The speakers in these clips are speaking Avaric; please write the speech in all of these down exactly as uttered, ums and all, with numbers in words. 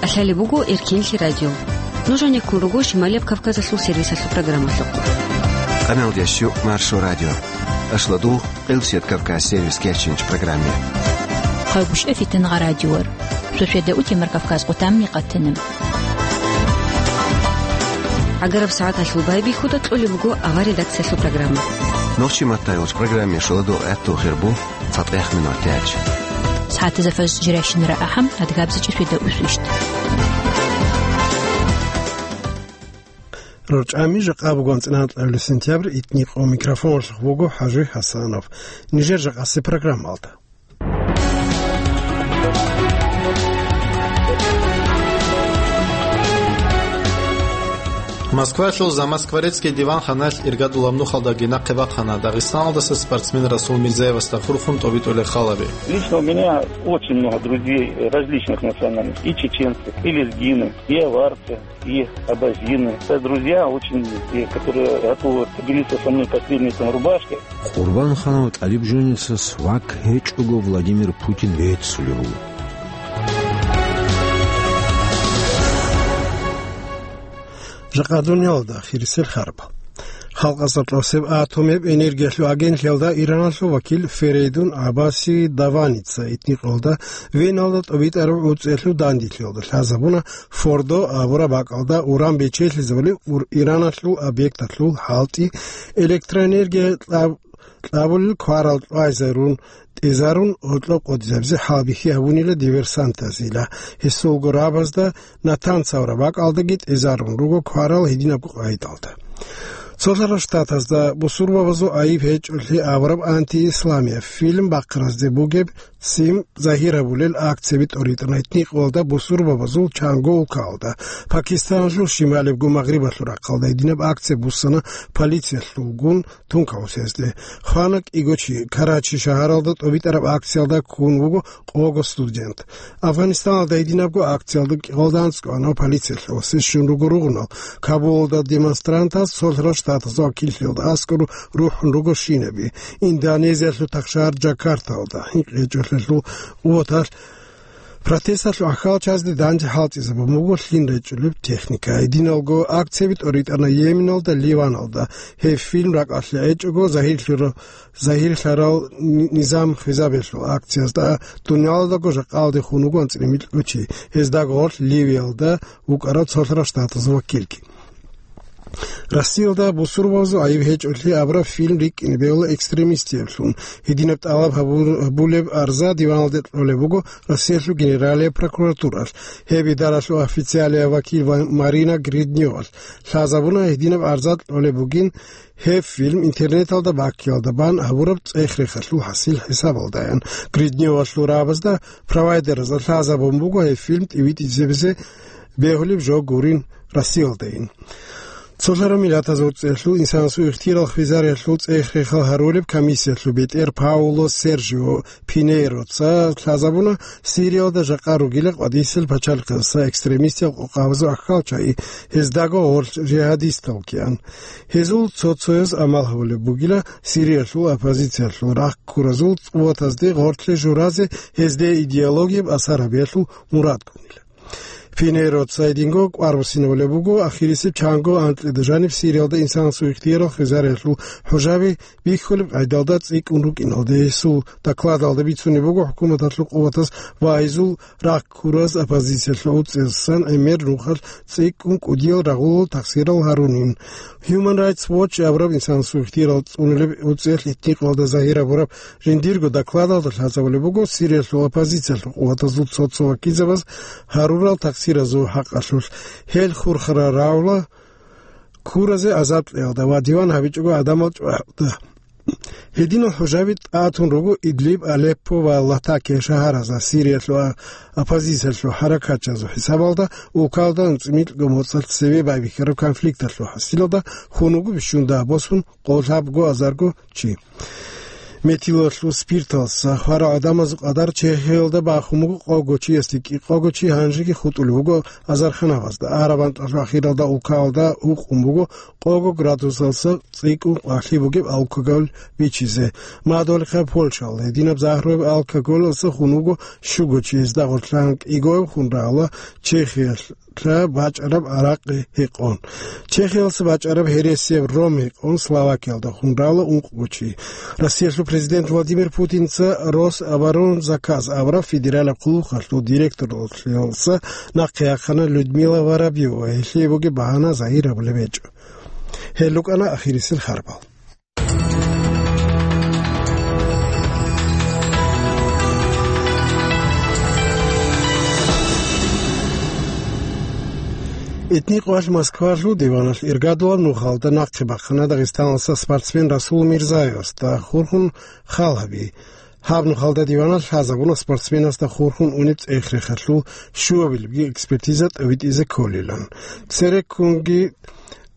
Лъалеб буго Эркинлъи радио. Нуж гьанеккун руго Шималияб Кавказалъул сервисалъул программалъухъ. Къаналдящу Маршо радио. Ашладугъ Къилсият Кавказ сервис кечинч программе. Хъайгъушъа фитангъа радиор. Шошеда утемар Кавказ къутамни къатана. Агараб сагӀаталъул байбихьуда кьолеб буго авар редакциялъул программа. Нохчи маттайолч программе шоладул гӀатту хирбу. ЦатӀехъ минутач. СагӀатазда фажр жирайщинара ахӀам, адгабзичӀеб шведа усвищт. РорчӀами жакъа бугон цӀинанкьабилеб сентябрь, итникъо микрофонлъухъ буго ХӀажи ХӀасанов. Нижер жакъасеб программалда. Москвалъул Замоскворецкий диван ханалъ иргадулаб нухалдаги нахъе бахъана Дагъистаналдаса спортсмен Расул Мирзаевасда хурхун тӀобитӀулел халаби. Лично у меня очень много друзей различных национальностей, и чеченцы, и лезгины, и аварцы, и абазины. Это друзья очень, и которые готовы поделиться со мной последней там рубашкой. Къурбанханав ТӀалибжанисас вак гьечӀого Владимир Путин реццулев вуго. Жакъа дуниялалда хирисел харбал. Халкъалъул атомаб энергиялъул агентлъиялда Ираналъул вакил Ферейдун Аббаси Даваница итникъоялда Веналда тӀобитӀараб гӀуцӀиялъул данделъиялда лъазабуна Фордо абураб бакӀалда уран бечелъизабулеб ур-, Ираналъул объекталъул хӀалтӀи, электроэнергия кьаб-, кьабулел кварал кьвайзарун, тӀезарун гьоркьоб къотӀизабизе хӀалбихьи гьабунила диверсантазила. Гьесулго рабазда Натанс абураб бакӀалдаги тӀезарун руго кварал гьединабго къагӀидалда. Цолъарал Штатазда бусурбабазул айиб гьечӀолъи абураб антиисламияб фильм бахъаразде бугеб ццин загьир гьабулел акцияби тӀоритӀана итникъоялда бусурбабазул чанго улкаялда. Пакистаналъул шималебго магърибалъул рахъалда гьединаб акция буссана полициялъулгун тункаусезде. Хвана кӀиго чи. Карачи шагьаралда тӀобитӀараб акциялда ккун вуго къого студент. Афганистаналда гьединабго акциялда кӀиялда анцӀго анав полициялъул ва сес щун руго ругъунал. Кабулалда демонстрантаз цолъарал Штатазул вакиллъиялда аскӀор рухӀун руго шинаби. Индонезиялъул тахшагьар Джакарталда гьинкъичӀолъиялъул къуваталъ протесталъул гӀахьалчазде данде хӀалтӀизабун буго лъим речӀчӀулеб техника. Гьединалго акцияби тӀоритӀана Йеменалда, Ливаналда. Гьеб фильм ракӀалъе гӀечӀого загьирлъура-, загьирлъарал ни-, низам хвезабиялъул акциязда дуниялалдаго жакъалде хун вуго анцӀила микьго чи, гьездаго гъорлъ Ливиялда вукӀарав цолъарал Штатазул вакилги. Россиялда бусурбабазул айиб гьечӀолъи абураб фильм рикӀкӀине бегьула экстремистиблъун. Гьединаб тӀалаб гьабу-, гьабулеб арза диваналде кьолеб буго Россиялъул Генералияб прокуратуралъ. Гьеб идаралъул официалияб вакил ва Марина Гридневалъ лъазабуна гьединаб арза кьолеб бугин, гьеб фильм интернеталда баккиялда бан гьабураб цӀех-рехалъул хӀасил хӀисабалдаян. Гридневалъул рабазда провайдераз лъазабун буго гьеб фильм тӀибитӀизабизе бегьулеб жо гурин Россиялдайин. Цолъарал Миллатазул ГӀурцӀиялъул инсанасул ихтияр хвезариялъул цӀех-рехал гьарулеб комиссиялъул бетӀер Пауло Сержио Пинейроца лъазабуна Сириялда жакъа ругила къватӀисел пачалихъаса экстремистиял къокъабазул аххалчагӀи, гьездаго гъорлъ жигьадистал ккеан. Гьезул цо-цояз амал гьабулеб бугила Сириялъул оппозициялъул рахъ ккуразул къуватазде гъорлъе журазе, гьезде идеологияб асар гьабиялъул мурадгунила. Пинейроца гьединго кӀвар буссинабулеб буго, ахирисеб чанго анкьида жаниб Сириялда инсанасул ихтияр хвезариялъул хӀужаби бихьулеб къайдалда цӀикӀкӀун рукӀиналде. Гьесул докладалда бицунеб буго, хӀукуматалъул къуватаз ва гьезул рахъ ккураз оппозициялъул гӀуцӀиялдасан гӀемер нухалъ цӀикӀкӀун кӀудиял рагъулал тахсирал гьарунин. Human Rights Watch абураб инсанасул ихтиярал цӀунулеб гӀуцӀиялъ итникъалда загьир гьабураб жиндирго докладалда лъазабулеб буго Сириялъул оппозициялъул къуватазул цо-цо вакилзабаз гьарурал тахсиразул хӀакъалъулъ. Гьел хурхарал рагӀула ккуразе азаб кьеялда ва диван гьабичӀого гӀадамал чӀваялда. Гьединал хӀужаби тӀатун руго Идлиб, Алеппо ва Латакия шагьаразда. Сириялъул а-, оппозициялъул хӀаракатчазул хӀисабалда улкалда анцӀила микьго моцӀалъ цеве байбихьараб конфликталъул хӀасилалда хун вуго бищунго босун къоло лъабго азарго чи. Метилалъул спирталъ хварал гӀадамазул къадар Чехиялда бахун буго къого чиясде кӀикъого чи, гьанжеги хутӀулев вуго азарханабазда. Араб анкьалъул ахиралда улкаялда гьукъун буго къого градусалъа цӀикӀкӀун къвалъи бугеб алкоголь бичизе. Мадугьалихъа Польшаялда гьединаб загьруяб алкоголалъа хун вуго щуго чи, гьезда гъорлъан кӀигояб хун рагӀула Чехиялъ бачӀараб гӀаракъи гьекъон. Чехиялъа бачӀараб гьересияб ром гьекъон Словакиялда хун рагӀула ункъго чи. Россиялъул президент Владимир Путинца Рособоронзаказ абураб федералаб хъулухъалъул директорлъиялдаса нахъе яхъана Людмила Воробьева, гьелъие бугеб багьана загьир гьабулеб гьечӀо. Гьел рукӀана ахирисел харбал. Итни къвалъ Москвалъул диваналъ иргадулаб нухалда нахъе бахъана Дагъистаналъа спортсмен Расул Мирзаевасда хурхун хал гьаби. Гьаб нухалда диваналъ лъазабуна спортсменасда хурхун унеб цӀех-рехалъул щуабилебги экспертиза тӀобитӀизе кколилан. Цереккунги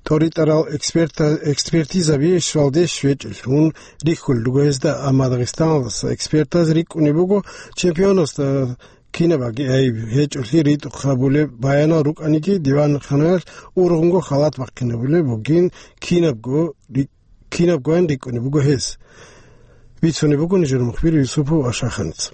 тӀоритӀарал эксперта-, экспертизаби щвалде щвечӀелъун рихьулел руго гьезда, амма Дагъистаналдаса экспертаз рикӀкӀунеб буго чемпионасда кинабги гӀайиб гьечӀолъи ритӀухъ гьабулеб баянал рукӀаниги, диванханаялъ ургъунго халат бахъинабулеб бугин кинабго ри-, кинабгоян рикӀкӀунеб буго гьез. Бицунеб буго нижер мухбир Юсупов Ашаханица.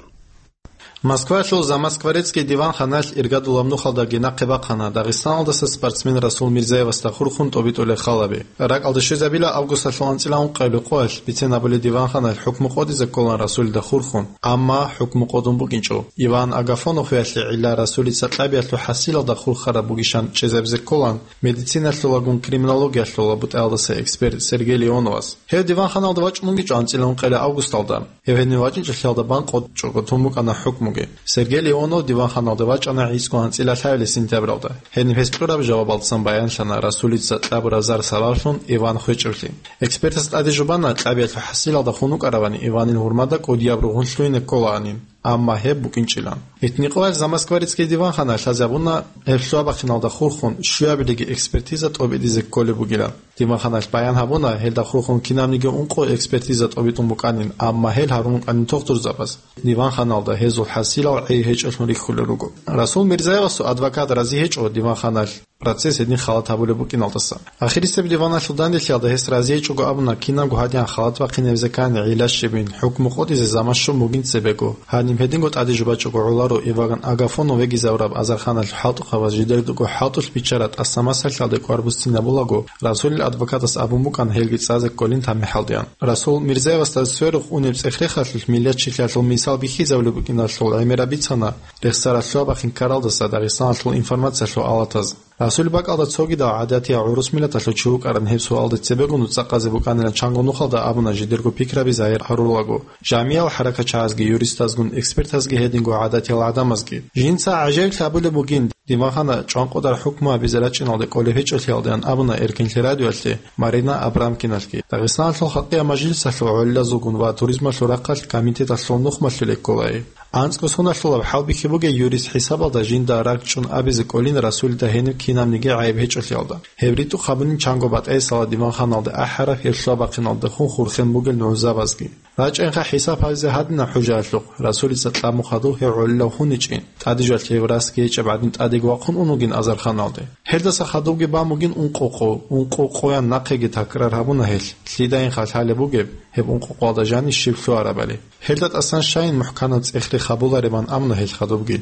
Москвалъул Замоскворецкий диванханалъ иргадулаб нухалдаги нахъе бахъана Дагъистаналдаса спортсмен Расул Мирзаевасда хурхун тӀобитӀулел халаби. РакӀалде щвезабила августалъул анцӀила ункъабилеб къоялъ бицен абулеб диванханалъ хӀукму къотӀизе кколан Расулида хурхун, амма хӀукму къотӀун букӀинчӀо. Иван Агафонов вегӀлъи гӀилла Расулица кьабиялъул хӀасилалда хурхараб бугищан чӀезабизе кколан медициналъулагун криминологиялъула бутӀаялдаса эксперт Сергей Леоновас. Гьев диванханалда вачӀун вугичӀо анцӀила ункъабилеб августалда. Гьев гьенив вачӀинчӀелъиялда бан къотӀичӀого тун букӀана хӀукмуги. Сергей Леонов диванханалде вачӀана гӀицӀго анцӀила лъабабилеб сентябралда. Гьениб гьес кьураб жавабалдасан баянлъана Расулица кьабураб зар сабаблъун Иван хвечӀеблъи. Экспертас тӀаде жубана, кьабиялъул хӀасилалда хун вукӀаравани Иванил гьурмада кӀудияб ругъун лъугьине кколаанин, амма гьеб букӀинчӀилан. Итни къоялъ Замоскворецкий диванханалъ лъазабуна гьеб лъугьа-бахъиналда хурхун щуябилебги экспертиза тӀобитӀизе кколеб бугилан. Диванханалъ баян гьабуна, гьелда хурхун кинабниги ункъо экспертиза тӀобитӀун букӀанин, амма гьел гьарун рукӀанин тухтурзабаз. Диванханалда гьезул хӀасилал гӀей гьечӀолъун рихьулел руго. Расул Мирзаевасул адвокат рази гьечӀо диванханалъ процесс гьедин халат гьабулеб букӀиналдаса. Ахирисеб диваналъул данделъиялда гьес рази гьечӀого абуна, кинабго гьадин халат бахъинабизе ккани гӀилла щибин, хӀукму къотӀизе заман щун бугин цебего. Гьаниб гьединго тӀаде жубачӀого гӀоларо Иван Агафонов вегизавураб азарханалъул хӀалтӀухъабаз жидерго хӀалтӀулъ биччараб тӀаса масалъалде кӀвар буссинабулаго, Расулил адвокатас абун букӀан гьелги цӀазе кколин тамихӀалдеян. Расул Мирзаевасда сверухъ унеб цӀех-рехалъулъ миллатчилъиялъул мисал бихьизабулеб букӀиналъул гӀемераб бицана рехсаралъуа бахъин ккаралдаса Дагъистаналъул информациялъул алатаз. Расул бакӀалда цогидал гӀадатиял гӀурус миллаталъул чи вукӀаран гьеб суалда цебегун цӀакъазе букӀанилан чанго нухалда абуна жидерго пикраби загьир гьарулаго, жамиял хӀаракатчагӀазги, юристазгун, экспертазги гьединго гӀадатиял гӀадамазги. Жинца гӀажаиблъи абулеб бугин, диванхана чӀванкъодар хӀукму гьабизе рачӀиналде кӀолеб гьечӀолъиялдеян абуна Эркинлъи радиоялъе Марина Абрамкиналъги, Дагъистаналъул халкъиял мажлисалъул гӀолилазулгун ва туризмалъул рахъалъ комитеталъул нухмалъулей кколай. АнцӀго соналъулаб хӀалбихьи бугей юрист хӀисабалда жинда ракӀчӀун абизе кӀолин Расулида гьениб кинабниги гӀайиб гьечӀолъиялда. Гьеб ритӀухъ гьабунин чанго батӀайсала диванханалде ахӀараб гьеб лъугьа-бахъиналдехун хурхен бугел нугӀзабазги. РачӀайинха хӀисаб гьабизе гьадинаб хӀужаялъухъ, Расулица кьаб-мухъадув гьев гӀолилав гьуничӀин, тӀаде жал гьев расги гьечӀеб гӀадин тӀадеги вахъун ун вугин азарханалде. Гьелдаса хадубги бан бугин ункъо къо, ункъо къоян нахъеги такрар гьабуна гьелъ, лъидаинха лъалеб бугеб, гьеб ункъо къоялда жанив щиб лъугьарабали. Гьелда тӀасан щайин мухӀканаб цӀех-рех гьабуларебан абуна гьел хадубги.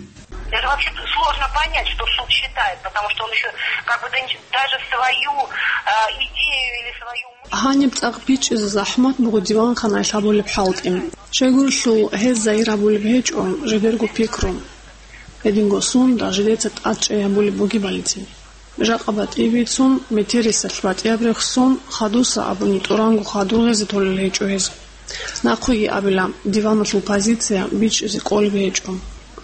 Это вообще сложно понять, что суд считает, потому что он ещё как бы да нич-, даже свою, а, идею или свою мысль. Гьаниб цӀакъ бичӀчӀизе захӀмат буго диванханаялъ гьабулеб хӀалтӀи. Щайгурелъул гьез загьир гьабулеб гьечӀо жидерго пикру. Гьединго сунда жидеца тӀад чӀей гьабулеб бугебалицин. Жакъа батӀи бицун, метерисалъ батӀияб рехсон, хадуса абуни тӀуранго хадур гъезе толел гьечӀо гьез. Нахъеги абила, диваналъул позиция бичӀчӀизе кӀолеб гьечӀо.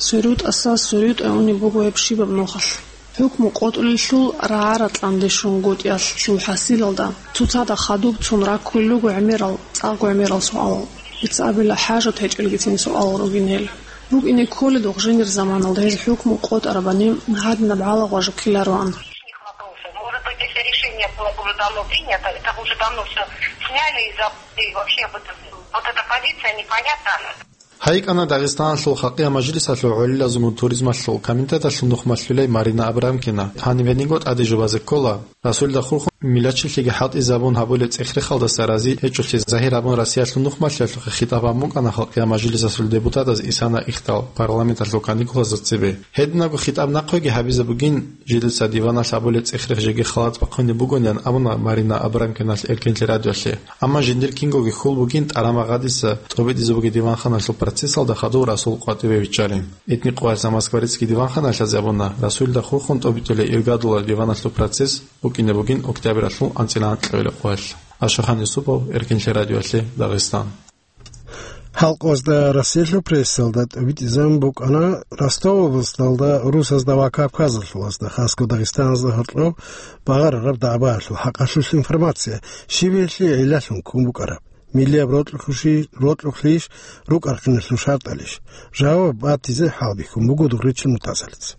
СверутӀаса сверутӀай унеб буго гьеб щибаб нухалъ. ХӀукму къотӀулелъул рагӀа-ратӀлъан дешунгутӀиялъул хӀасилалда, цоцазда хадуб цун раккулел руго гӀемерал, цӀакъго гӀемерал суалал. Дица абила, хӀажат гьечӀелгицин суалал ругин гьел. БукӀине кколедухъ жиндир заманалда гьез хӀукму къотӀарабани гьадинаб гьалагъважу ккелароан. Может быть, если решение было бы уже давно принято, это бы уже давно всё Сняли из-за, и вообще вот, вот эта позиция непонятна. ГьайикӀана Дагъистаналъул халкъиял мажлисалъул гӀолилазул туризмалъул комитеталъул нухмалъулей Марина Абрамкина. Гьанибе нигъго тӀаде жубазе ккола, Расулида хурхун милачилъиги хӀалтӀизабун гьабулеб цӀех-рехалдаса рази гьечӀолъи загьир гьабун Россиялъул нухмалъулъухъе хитӀаб гьабун букӀана халкъиял мажлисалъул депутатаз Исана Ихтал парламенталъул каникулазда цебе. Гьединабго хитӀаб нахъеги гьабизе бугин, жидеца диваналъ гьабулеб цӀех-рех жеги халат бахъунеб бугониан абуна Марина Абрамкиналъ Эркенлъи радиолъе. Амма жиндир кингоги хьул бугин тӀарамагъадиса тӀобитӀизе бугеб диванханалъул процессалда хадув Расул къватӀиве виччарин. Этникъоялъ Москва риццги диванханалъазе абуна, Расулида хурхун тӀобитӀулей иргадулал диваналъул процесс букӀине бугин октябралъул анцӀила анкьабилеб къоялъ. Ашахан Юсупов, Эркенлъи радиолъе, Дагъистан. Халкъалда Россиялъул прессалда тӀобитӀизабун букӀана Ростов областалда русазда ва Кавказалъулазда, хасго Дагъистаназда гьоркьоб багъарараб дагӀбаялъул хӀакъалъулъ информация, щибелъи гӀиллалъун ккун букӀараб, миллияб рокьулъ-, рокьулъищ, рукӀа-рахъиналъул шартӀалищ? Жаваб батизе хӀалбихьун буго Дугъричил Мутазалица.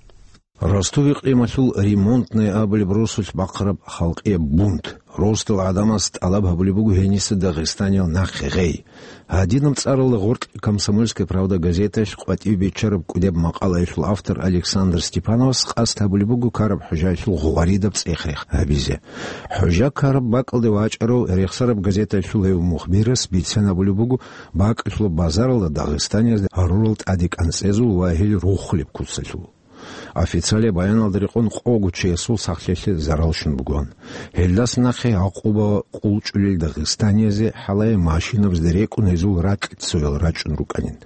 Ростов икълималъул Ремонтная абулеб росулъ бахъараб халкъияб бунт. Росдал гӀадамаз тӀалаб гьабулеб буго гьениса Дагъистаниял нахъе гъей. Гьадинаб цӀаралда гъоркь «Комсомольская правда» газеталъ къватӀибе биччараб кӀудияб макъалаялъул автор Александр Степановас къасд гьабулеб буго Караб-ХӀужаялъул гъваридаб цӀех-рех гьабизе. ХӀужа Караб бакӀалде вачӀарав Рехсараб газеталъул гьев мухбирас бицен абулеб буго бакӀалъулаб базаралда Дагъистаниязда гьарурал тӀаде кӀанцӀезул ва гьел рухулеб куцалъул. Официалияб баяналда рекъон къого чиясул сахлъиялъе зарал щун бугоан. Гьелдаса нахъе гӀакъуба къулчӀулел дагъистаниязе хӀалае машинабазда рекӀун гьезул ракьцоял рачӀун рукӀанин.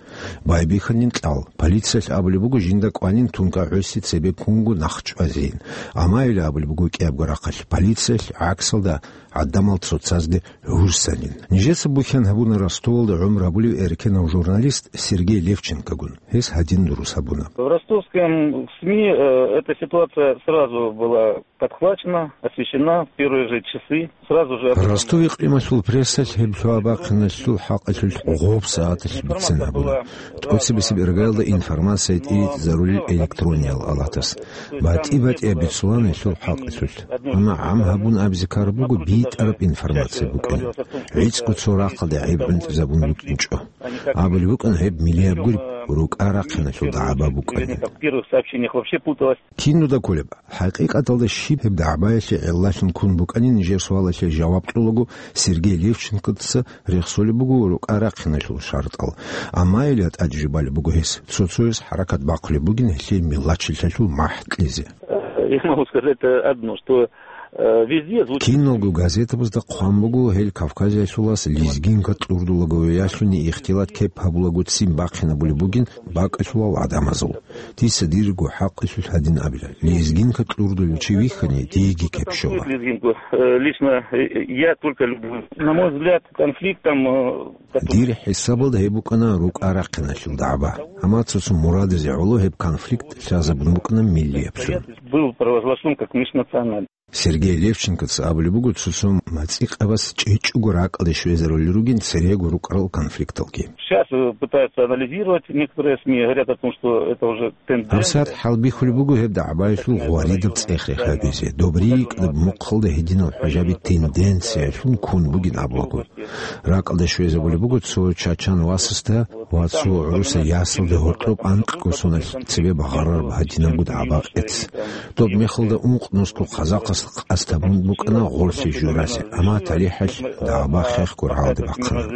Байбихьанин кьал. Полициялъ абулеб буго жинда кӀванин тункӀа гӀуси цебе ккунго нахъ чӀвазейин. Амма гьеле абулеб буго кӀиябго рахъалъ полициялъ гӀаксалда гӀадамал цоцазде гӀурсанин. Нижеца бухьан гьабуна Ростовалда гӀумру гьабулев эркенав журналист Сергей Левченкогун. Гьес гьадин дурус гьабуна. В ростовском СМИ, э, эта ситуация сразу была подхвачена, освещена в первые же часы. Сразу же об этом... Ростов икълималъул прессалъ гьеб лъугьа-бахъиналъул хӀакъалъулъ гъоб сагӀаталъ бицен гьабуна. ТӀоцебесеб иргаялда информация тӀибитӀизарулел электрониял алатас. БатӀи-батӀияб бицулаан гьелъул хӀакъалъулъ. Амма гӀам гьабун абизе ккараб буго битӀараб информация букӀин. ГӀицӀго цо рахъалде гӀеб гӀунтӀизабун букӀинчӀо. Абулеб букӀана гьеб миллияб гури рукӀа-рахъиналъул дагӀба букӀанин. Кинуда кколеб? ХӀакъикъаталда щиб гьеб дагӀбаялъе гӀиллалъун ккун букӀанин нижер суалалъе жаваб кьолаго Сергей Левченкоца рехсолеб буго рукӀа-рахъиналъул шартӀал. Амма гьеле тӀаде жубалеб буго гьес, цо-цояс хӀаракат бахъулеб бугин гьелъие миллачилъалъул махӀ кьезе. Я могу сказать, э, одно, что, э, везде звучит... Киналго газетабазда хъван буго гьел Кавказиялъулас лезгинка кьурдулаго веялъуни ихтилат кеп гьабулаго ццин бахъинабулеб бугин бакӀалъулал гӀадамазул. Дица дирго хӀакъалъулъ гьадин абила: лезгинка кьурдулев чи вихьани, диеги кеп щола. Лезгинку, э, лично, э, я только люблю. На мой взгляд, конфликт там, э, Дир хӀисабалда гьеб букӀана рукӀа-рахъиналъул дагӀба. Амма цо-цо мурадизе гӀоло гьеб конфликт лъазабун букӀана миллияб цун. Был провозглашен как межнациональный. Сергей Левченкоца абулеб буго цо-цо мацӀикъабаз чӀечӀого ракӀалде щвезарулел ругин церего рукӀарал конфликталги. Сейчас, э, пытаются анализировать некоторые СМИ, говорят о том, что это уже тенденция. ГьабсагӀат хӀалбихьулеб буго гьеб дагӀбаялъул гъваридаб цӀех-рех гьабизе. Доб рикӀкӀадаб мухъалда гьединал хӀажаби тенденциялъун ккун бугин абулаго. РакӀалде щвезабулеб буго цо чачан васасда ва цо гӀуруса ясалде гьоркьоб анкьго соналъ цебе багъарараб гьадинабго дагӀба-къец. Доб мехалда ункънусго казахъас къасд гьабун букӀана гъорлъе журазе, амма талихӀалъ дагӀба хехго рагӀалде бахъана.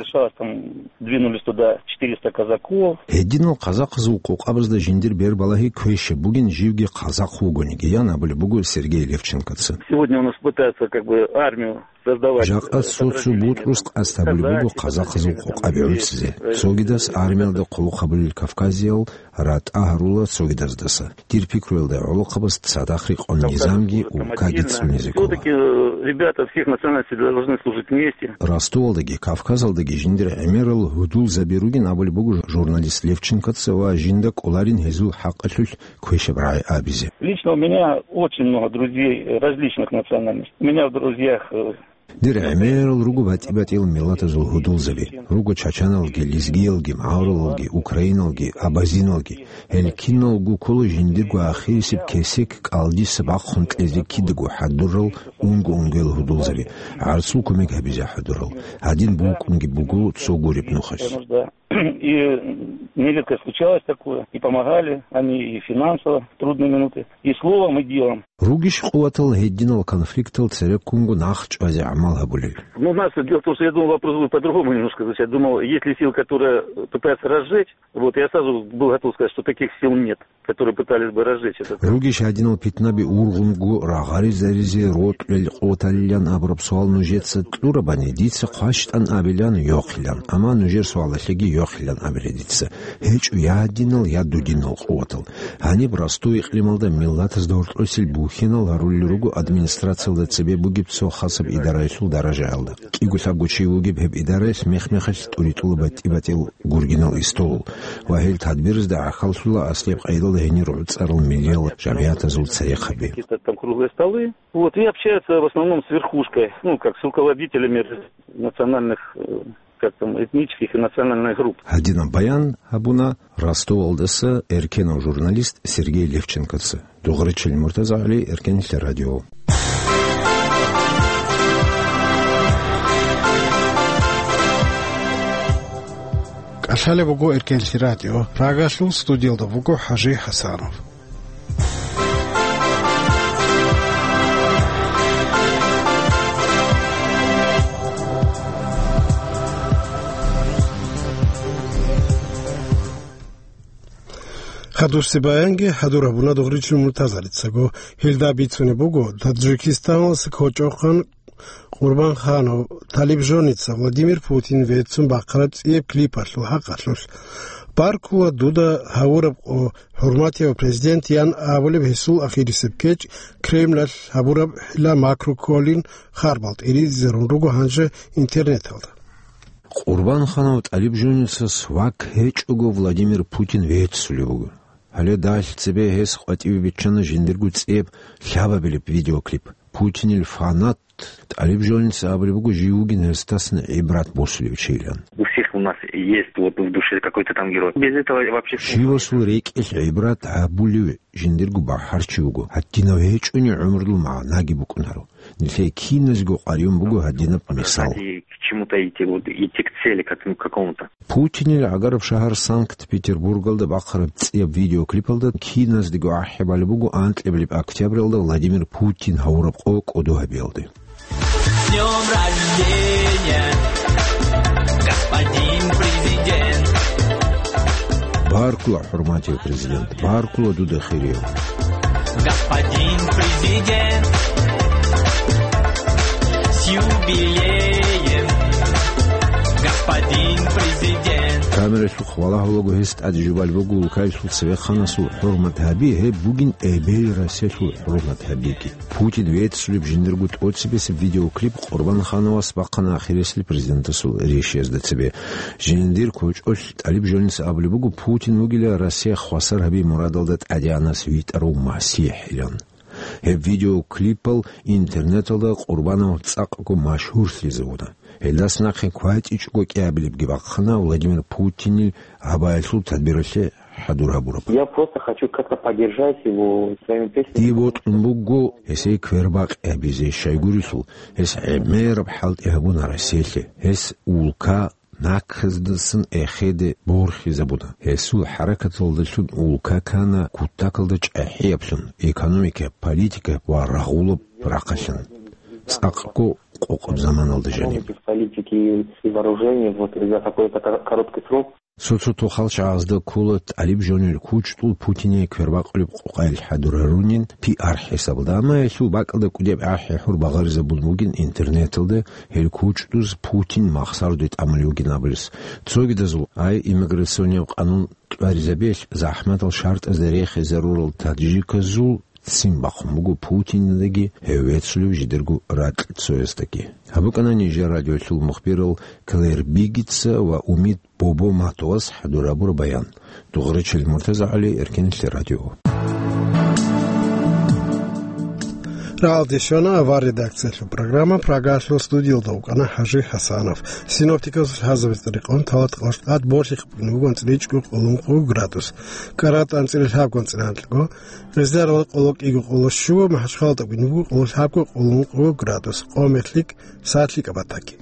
Двинулись туда четыреста казаков. Гьединал казахъазул къокъабазда жиндир бербалагьи квешаб бугин, живги казахъ вугониги, ян абулеб буго Сергей Левченкоца. Сегодня у нас пытаются как бы армию создавать. Жакъа цо-цо бутӀрус къасд гьабулеб буго казахъазул къокъаби гӀуцизе. Цогидас армиялда хъулухъ гьабулел кавказиял ратӀа гьарула цогидаздаса. Дир пикруялда гӀолохъабаз цадахъ рекъон низамги улкаги цӀунизе ккола. Всё-таки, э, ребята всех национальностей должны служить вместе. Ростовалдаги, Кавказалдаги жиндир гӀемерал гьудулзаби ругин абулеб буго журналист Левченкоца ва жинда кӀоларин гьезул хӀакъалъулъ квешаб рагӀи абизе. Лично у меня очень много друзей различных национальностей. У меня в друзьях, э, Дир гӀемерал руго батӀи-батӀиял миллатазул гьудулзаби. Руго чачаналги, лезгиялги, мавралалги, украиналги, абазиналги. Гьел киналго ккола жиндирго ахирисеб кесек кӀалдиса бахъун кьезе кидаго хӀадурал унго-унгоял гьудулзаби, гӀарцул кумек гьабизе хӀадурал. Гьадин букӀунги буго цо гуреб нухалъ. И нередко случалось такое, и помогали они и финансово в трудные минуты, и словом, и делом. Ругищ къуватал гьединал конфликтал цереккунго нах чӀвазе гӀамал гьабулел. Ну, у нас, дело в том, что я думал, вопрос будет по-другому немножко звучать. Думал, есть ли силы, которые пытаются разжечь. Вот, я сразу был готов сказать, что таких сил нет, которые пытались бы разжечь это. Ругищ гьадинал питнаби ургъунго рагъаризаризе рокьулел къоталилан абураб суал нужеца кьурабани, дица хъващтӀан абилан йохъилан, амма нужер суалалъеги йохъилан абила дица. ГьечӀо я гьадинал, я дудинал къуватал. Гьаниб Ростов икълималда миллатазда гьоркьосел бухьинал гьарулел руго администрациялда цебе бугеб цо хасаб идараялъул даражаялда. КӀиго-лъабго чи вугеб гьеб идараялъ мех-мехалъ тӀуритӀула батӀи-батӀиял гургинал истолал ва гьел тадбирзда гӀахьаллъула аслияб къайдалда гьенир гӀуцӀарал миллиял жамгӀиятазул церехъаби. Какие-то там круглые столы. Вот, и общаются в основном с верхушкой, ну, как с руководителями национальных, э, как там, этнических и национальных групп. Гьадинаб баян гьабуна Ростовалдаса эркенав журналист Сергей Левченкоца. Дугъричил МуртазагӀали, Эркенлъи радио. КӀалъалеб буго Эркенлъи радио. Прагалъул студиялда буго ХӀажи ХӀасанов. Хадурси баянги хӀадур гьабуна Дугъричил МуртазагӀалицаго. Гьелда бицунеб буго, Таджикистаналъ кочӀохъан Къурбан Ханов, талиб жоница Владимир Путин веццун бахъараб цӀияб клипалъул хӀакъалъулъ. «Баркула дуда гьавураб къо, хӀурматияв президент», – ян абулеб гьесул ахирисеб кечӀ Кремлалъ гьабураб хӀила макру кколин харбал тӀиризарун руго гьанже интернеталда. Къурбан Ханов талиб жоницас вак гьечӀого Владимир Путин веццулев вуго. Гьале дагьалъ цебе гьес къватӀиве биччана жиндирго цӀияб лъабабилеб видеоклип. Путинил фанат талиб жоница абулеб буго жив вугин гьесдасан гӀибрат босулев чилан. У всех у нас есть вот в душе какой-то там герой. Без этого вообще смысла. Щивасул рекӀелъ гӀибрат гьабулев жиндирго бахӀарчи вуго, гьадинав гьечӀони гӀумрул магӀнаги букӀунаро. Нилъее киназго къваригӀун буго гьадинаб мисал. Ради к чему-то идти, вот, идти к цели, к этому какому-то. Путинил гӀагараб шагьар Санкт-Петербургалда бахъараб цӀияб видеоклипалда киназдего ахӀи балеб буго анкьабилеб октябралда Владимир Путин гьавураб къо кӀодо гьабиялде. С днём рождения, господин президент! Баркула, хӀурматияв президент, баркула дуда хирияв. Господин президент, с юбилеем, господин президент! Камералъухъ валагьулаго гьес тӀаде жубал буго улкаялъул цевехъанасул хӀурмат гьаби, гьеб бугин эбел-расиялъул хӀурмат гьабиги. Путин веццулеб жиндирго тӀоцебесеб видеоклип Къурбан Хановас бахъана ахирисел президентасул рещтӀезда цебе. Жиндир кочӀолъ талиб жоница абулеб буго, Путин вугила Россия хвасар гьаби мурадалда тӀадегӀанас витӀарав МасихӀилан. Гьеб видеоклипал интернеталда Къурбанов цӀакъго машгьурлъизавуна. Гьелдас нахъе кватӀичӀого кӀиабилебги бахъана Владимир Путинил гьабаялъул тадбиралъе хӀадур гьабураб. Я просто хочу как-то поддержать его своими песнями. Дие бокьун буго гьесие квербакъи гьабизе, щайгурелъул гьес гӀемераб хӀалтӀи гьабуна Россиялъе. Гьес улка наказдасан эхеде борхизабуна. Гьесул хӀаракаталдалъун улка ккана кутакалда чӀахӀияблъун, экономика, политика ва рагъулаб рахъалъан. ЦӀакъго къокъаб заманалда жаниб. Политики и вооружения вот за какой-то кор-, короткий срок. Цо-цо тохал чагӀазда ккола талиб жонил кучӀдул Путине квербакъулеб къокъаялъ хӀадур гьарунин пиар хӀисабалда, амма гьелъул бакӀалда кӀудияб ахӀи-хӀур багъаризабун бугин интернеталда гьел кучӀдуз Путин махсарде тӀамулев вугин абулес. Цогидазул ай иммиграционияв къанун тӀваризабиялъ захӀматал шартӀазда рехизарурал таджиказул ццин бахъун буго Путиндаги гьев веццулев жидерго ракьцояздаги. Гьаб букӀана нижер радиолъул мухбирал Клэр Бигица ва Умид Бобо-Матовас хӀадур гьабураб баян. Дугъричил МуртазагӀали, Эркенлъи радио. Рагьалде щвана авар редакциялъул программа, Прагалъул студиялда вукӀана ХӀажи ХӀасанов. Синоптикасул лъазабица рекъон талат къоштӀат борхихъ бугин бугон цӀричӀго къолонкъо градус. КӀарат анцӀила лъабгон цӀинанлъго, гъезарала къоло кӀиго къоло щуго, МахӀачхъалда бугин буго къоло лъабго къолонкъо градус. Къомерлъик садлъикӀа батаги.